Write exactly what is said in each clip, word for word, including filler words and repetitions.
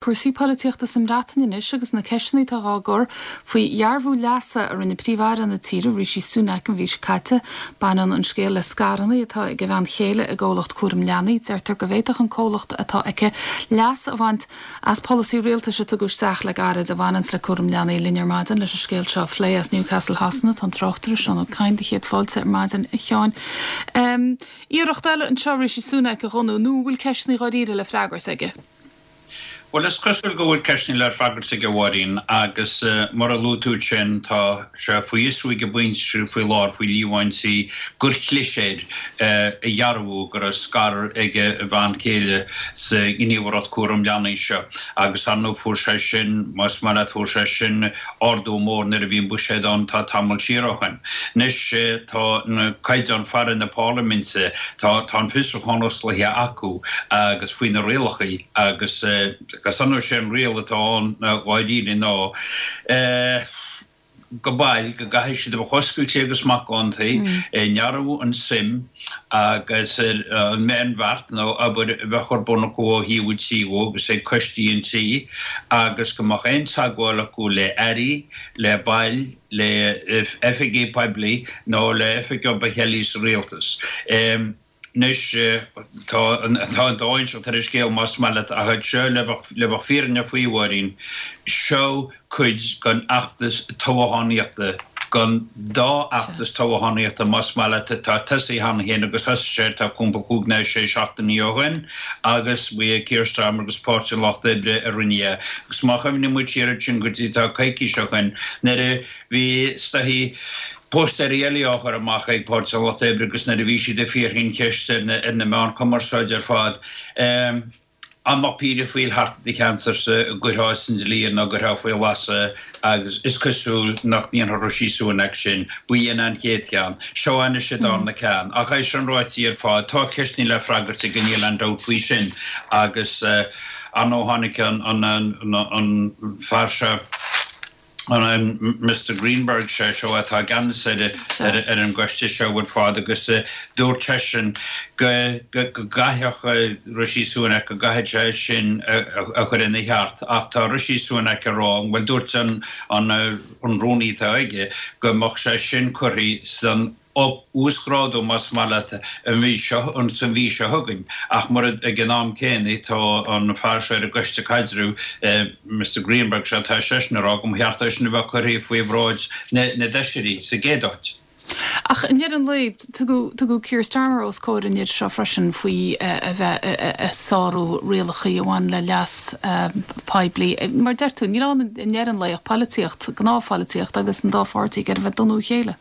Cúrsaí polaitíochta sa mBreatain anois agus na ceisteanna atá á gcur faoi dhearbhú leasa a rinne Príomh-Aire na tíre Rishi Sunak an mhí seo caite. Baineann an scéal le scaireanna atá ag a bhean chéile i gcomhlacht cúram leanaí, deirtear go bhféadfadh an comhlacht atá aici leas a bhaint as polasaí rialtais a tugadh isteach le gairid a bhaineann le cúram leanaí. Linn ar maidin leis an scéal seo a phlé as Newcastle Shasana tá an tráchtaire Seán Ó Cadhain do chéad fáilte ar maidin a Sheáin. Um, Iarracht eile anseo Rishi Sunak a dhonnú nó bhfuil ceisteanna dáiríre le freagairt aige. Well is cosúil go bhfuil ceisteanna le freagairt aige a Mháirín agus uh, mar a luaigh tú sin tá sé faoi fhiosrú ag baint faoi láthair faoi líomhaintí gur chlis air uh, a dhearbhú go raibh scair ag a bhean chéile sa ghníomhaireacht cúram leanaí seo agus ar ndóigh fuair sé sin más maith leat fuair sé sin ardú mór nuair a bhí an buiséad ann tá tamall siar ó shin. Anois uh, tá na caighdeáin faire na parlaiminte tá tá an fiosrúchán oscailte acu agus faoi na rialacha agus uh, agus an sin riail atá ann dáiríre ná go bhfuil go gcaithfidh siad a bheith oscailte agus macánta i ndearbhú an suim agus an meánbheart nó obair a bheith ar bun acu ó thaobh an tí agus ag coistí an tí agus go mbeadh aon teagmháil acu le airí le baill le oifigigh poiblí nó le oifigigh eile sa rialtas. Um, Anois tá an dá inseacht ar an scéal más maith leat ach seo le bheith fírinneach faoi a Mháirín seo cuid den fheachtas toghchánaíochta den dá fheachtas toghchánaíochta más maith leat atá tosaithe cheana féin agus thosaigh sé tá cúpla cúig nó sé seachtainí ó shin agus bhí Keir Starmer agus Páirtí an Lucht Oibre a rinne é. Agus má chuimhníonn muid siar sin go dtí tá coicís ó shin nuair a bhí staií Póstaerí eile á chur amach ag Páirtí an Lucht Oibre agus nuair a bhí siad ag fiafraí an cheist ar na, ar na meáin cumarsáide ar fad. Um, an mbeadh paedophile thart i do cheantarsa a gcuirfeá san dlí nó gcuirfeá faoi lasadh agus is cosúil nach ndéanfadh Rishi Sunak sin b'in an chéad cheann. Seo anois an darna ceann. Ach é sin ráite ar fad tá ceisteanna le freagairt aige níl aon dabht faoi sin agus uh, an ó tháinig an, an, an, an fear seo an Mr Greenberg sé seo atá i gceannas ar ar an gcoiste seo ar fad agus dúirt seisean go gcaithfeadh Rishi Sunak go gcaithfidh sé sin a chur ina cheart ach tá Rishi Sunak ag rá bhuel dúirt an an an rúnaí atá aige go mbeadh sé sin curtha san uasghrádú más maith leat an mhí seo an san mhí seo chugainn ach mar ag an am céanna tá an fear seo ar an gcoiste caidrimh Mr Greenberg seo tá seisean ag rá go mba cheart é sin a bheith curtha faoi bhráid na na bhfeisirí sa gcéad áit. Ach i ndeireadh an lae tugadh Keir Starmer os comhair an idir seo freisin faoi a bheith ag sárú rialacha a bhain le leas poiblí. Mar deir tú níl ann i ndeireadh an lae ach polaitíocht, gnáthpholaitíocht agus an dá pháirtí ag iarraidh a bheith ag donnú a chéile.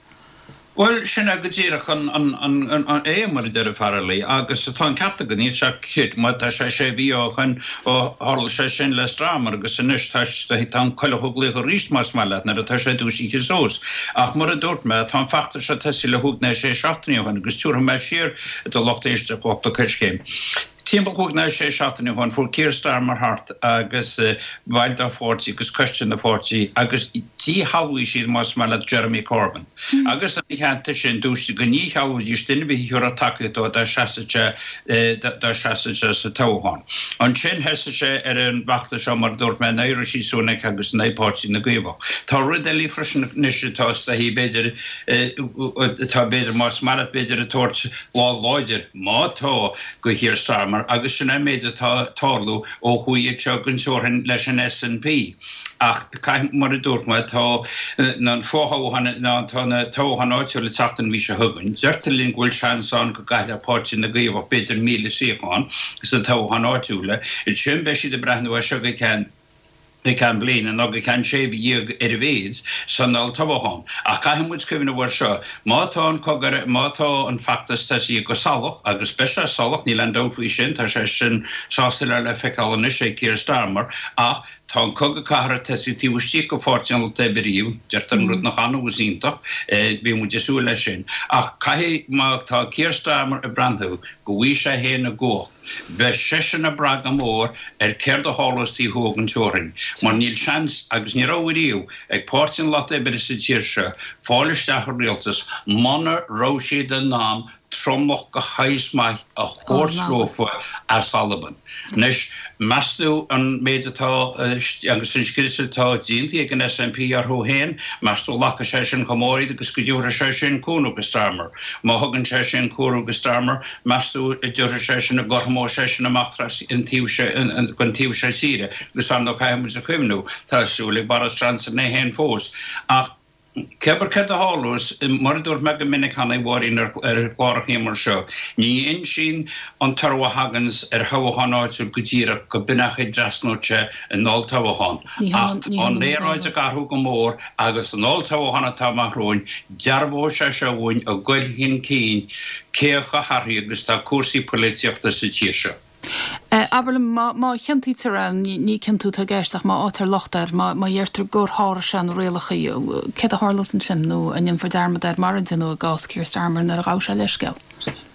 Bhuel sin é go díreach an an é mar a deir an fear agus atá an ceart agat níl sé cit má tá sé sé mhí ó shin ó tharla sé sin le Starmer agus anois tá tá an coileach ag glaoch arís más maith leat nuair atá sé dúisithe suas. Ach mar a dúirt mé tá an feachtas seo tosaithe le cúig nó sé seachtainí ó shin agus tabharfaidh mé siar do lucht éisteachta cúpla coiscéim. Timpeall cúig nó sé seachtainí ó shin fuair Keir Starmer thart agus baill dá pháirtí agus coiste na pháirtí agus dhíshealbhaigh siad más maith leat Jeremy Corbyn. Mm. Agus ina theannta sin dúirt siad go ndíshealbhóidís duine ar bith a thabharfadh tacaíocht dó dá seasfadh sé dá seasfadh sé sa toghchán. Ansin thosaigh sé ar an bhfeachtas seo mar dúirt mé in aghaidh Rishi Sunak agus in aghaidh Páirtí na gCaomhach. Tá rud eile freisin anois atá b'fhéidir atá b'fhéidir más maith leat b'fhéidir ag tabhairt lámh láidir má tá do Keir Starmer agus sin an méid atá tarlú ó thuaidh anseo den teorainn leis an SNP. Ach caithfidh mar a dúirt mé tá an fothoghchán ná tá na toghcháin áitiúla ag teacht an mhí seo chugainn. Deirtear linn go bhfuil seans ann go gcaillfeadh Páirtí na gCaomhach b'fhéidir míle suíochán sna toghcháin áitiúla. Ansin beidh siad ag breathnú air seo go ceann go ceann bliana nó go ceann sé mhí déag ar a mhéad san olltoghchán. Ach caithfidh muid cuimhneamh air seo, má tá an cogar má tá an feachtas tosaithe go salach agus beidh sé salach níl aon dabht faoi sin, tá sé sin soiléir le feiceáil anois ag Keir Starmer, ach tá an cogadh cathartha tosaithe taobh istigh de Pháirtí an Lucht Oibre, deirtear an rud nach annamh is iontach, bhí muid ag súil leis sin. Ach caithfidh má tá Keir Starmer ag breathnú go bhfaighidh sé féin an chumhacht, Beidh seisean ag brath go mór ar céard a tharlós taobh thuaidh den teorainn, mar níl seans, agus ní raibh ariamh, ag Páirtí an Lucht Oibre sa tír seo fáil isteach i rialtas muna raibh siad in ann tromlach go háis maith a thabhairt leofa as Albain. Anois, meas tú an méid atá agus an scrios atá déanta ag an S N P orthu féin, meas tú nglacfaidh sé sin chomh mór iad agus go dtabharfaidh sé sin cúnamh go Starmer. Má thugann sé sin cúnamh go Starmer, meas tú an dtabharfaidh sé sin, an gcothromóidh sé sin amach an taobh seo, gon taobh seo tíre. Agus ar ndóigh caithfidh muid a chuimhniú, tá súil ag Boris Johnson é féin fós. Ach cébir céard a tharlós, mar a dúirt mé go minic cheana, a Mháirín, ar chlárachaí mar seo, ní insíonn an toradh a thaganns ar thoghchán áitiúil go díreach go b'in é an chaoi a dtrasnóidh sé an olltoghchán. Ach tá an aeráid ag athrú go mór agus an olltoghchán atá amach romhainn, dearbhóidh sé seo dhúinn a ghoil chun cinn cé chomh hathraithe agus atá cúrsaí poilitíochta sa tír seo. Abair liom, má chiontaítear é, ní ciontú atá i gceist ach má fhaightear locht air, má dheirtear gur sháraigh sé na rialacha, céard a tharlós ansin nó an ndéanfar dearmad air mar a deineadh i gcás Keir Starmer nuair a ghabh sé leithscéal?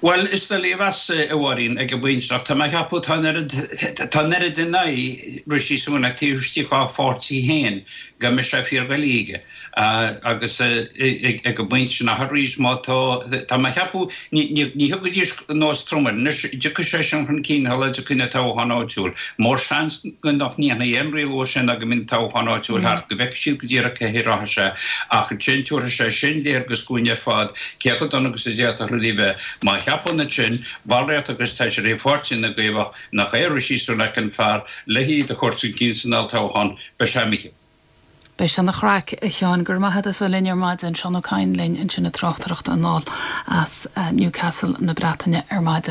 Bhuel, is doiligh a mheas, a Mháirín, ag an bpointe seo. Tá mé ag ceapadh tá an oiread, tá an oiread in aghaidh Rishi Sunak taobh istigh dá pháirtí féin go mbeidh sé fíordhoiligh aige. Agus ag an bpointe sin, ach arís, má tá, tá mé ag ceapadh, ní thiocfaidís anuas trom air. Anois, dtiocfaidh sé sin chun cinn shula dtiocfaidh na toghcháin áitiúil. Mórseans nach ndéanfaí aon rialú air sin ná go mbeidh na toghcháin áitiúil thart, go bhfeicfidh siad go díreach cé hé rachaidh sé. Ach ansin, tabharfaidh sé sin léargas dhúinn ar fad cé chomh dona agus a d'fhéadfadh rudaí bheith. Má cheapann ansin ballraíocht agus feisirí pháirtí na gCaomhach nach é Rishi Sunak an fear le hiad a chur chun cinn san olltoghchán, beidh sé imithe. Beidh sé ina chraic, a Sheáin. Go raibh maith agat as bheith linn ar maidin. Seán Ó Cadhain linn ansin ag tráchtaireacht anall as Newcastle na Breataine ar maidin.